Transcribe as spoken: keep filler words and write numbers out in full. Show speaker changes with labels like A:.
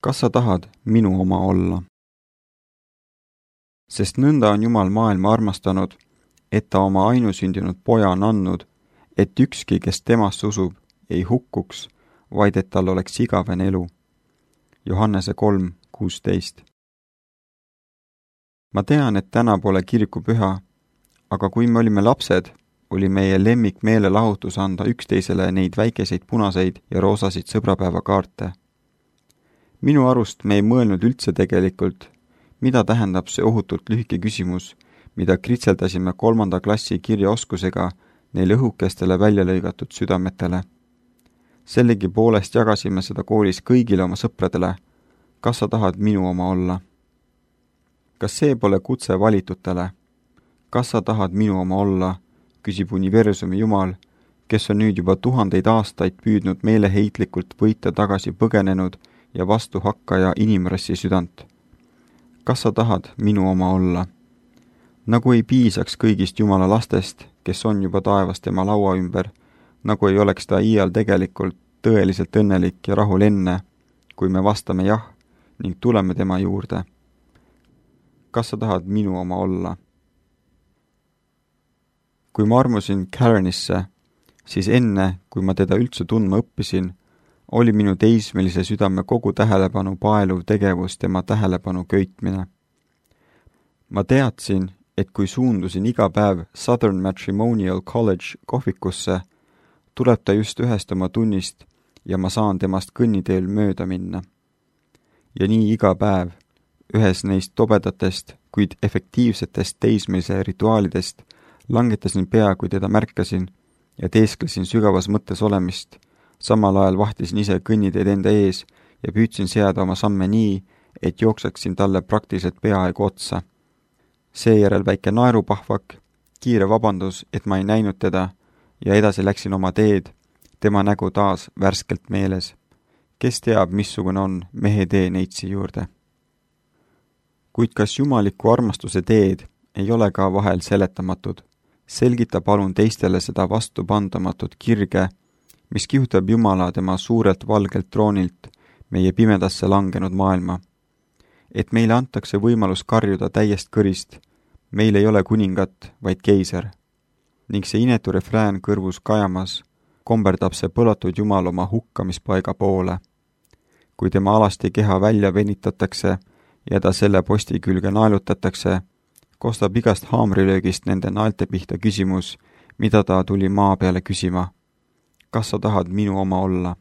A: kas sa tahad minu oma olla? Sest nõnda on Jumal maailma armastanud, et ta oma ainusündinud poja on andnud, et ükski, kes temasse usub, ei hukkuks, vaid et tal oleks igavene elu. Johannese kolm kuusteist. Ma tean, et täna pole kirikupüha, aga kui me olime lapsed, oli meie lemmik meelelahutus anda üksteisele neid väikeseid punaseid ja roosasid sõbrapäevakaarte. Minu arust me ei mõelnud üldse tegelikult, mida tähendab see ohutult lühike küsimus, mida kritseldasime kolmanda klassi kirjaoskusega neile õhukestele välja lõigatud südametele. Sellegi poolest jagasime seda koolis kõigile oma sõpradele. Kas sa tahad minu oma olla? Kas see pole kutse valitutele? Kas sa tahad minu oma olla? Küsib universumi Jumal, kes on nüüd juba tuhandeid aastaid püüdnud meeleheitlikult võita tagasi põgenenud ja vastuhakkaja inimrassi südant. Kas sa tahad minu oma olla? Nagu ei piisaks kõigist Jumala lastest, kes on juba taevas tema laua ümber, nagu ei oleks ta iial tegelikult tõeliselt õnnelik ja rahul enne, kui me vastame jah ning tuleme tema juurde. Kas sa tahad minu oma olla? Kui ma armusin Karenisse, siis enne, kui ma teda üldse tundma õppisin, oli minu teismelise südame kogu tähelepanu paeluv tegevus tema tähelepanu köitmine. Ma teadsin, et kui suundusin iga päev Southern Matrimonial College kohvikusse, tuleb ta just ühest oma tunnist ja ma saan temast kõnniteel mööda minna. Ja nii iga päev, ühes neist tobedatest, kuid efektiivsetest teismelise rituaalidest, langetasin pea, kui teda märkasin ja teesklesin sügavas mõttes olemist, samal ajal vahtisin ise kõnniteed enda ees ja püüdsin seada oma samme nii, et jookseksin talle praktiliselt peaaegu otsa. Seejärel väike naerupahvak, kiire vabandus, et ma ei näinud teda ja edasi läksin oma teed, tema nägu taas värskelt meeles. Kes teab, missugune on mehe tee neitsi juurde? Kuid kas jumaliku armastuse teed ei ole ka vahel seletamatud? Selgita palun teistele seda vastupandamatut kirge, mis kihutab Jumala tema suurelt valgelt troonilt meie pimedasse langenud maailma. Et meile antakse võimalus karjuda täiest kõrist, meil ei ole kuningat, vaid keiser. Ning see inetu refrään kõrvus kajamas, komberdab see põlatud Jumal oma hukkamispaiga poole. Kui tema alasti keha välja venitatakse ja ta selle posti külge naelutatakse, kostab igast haamrilöögist nende naelte pihta küsimus, mida ta tuli maa peale küsima. Kas sa tahad minu oma olla?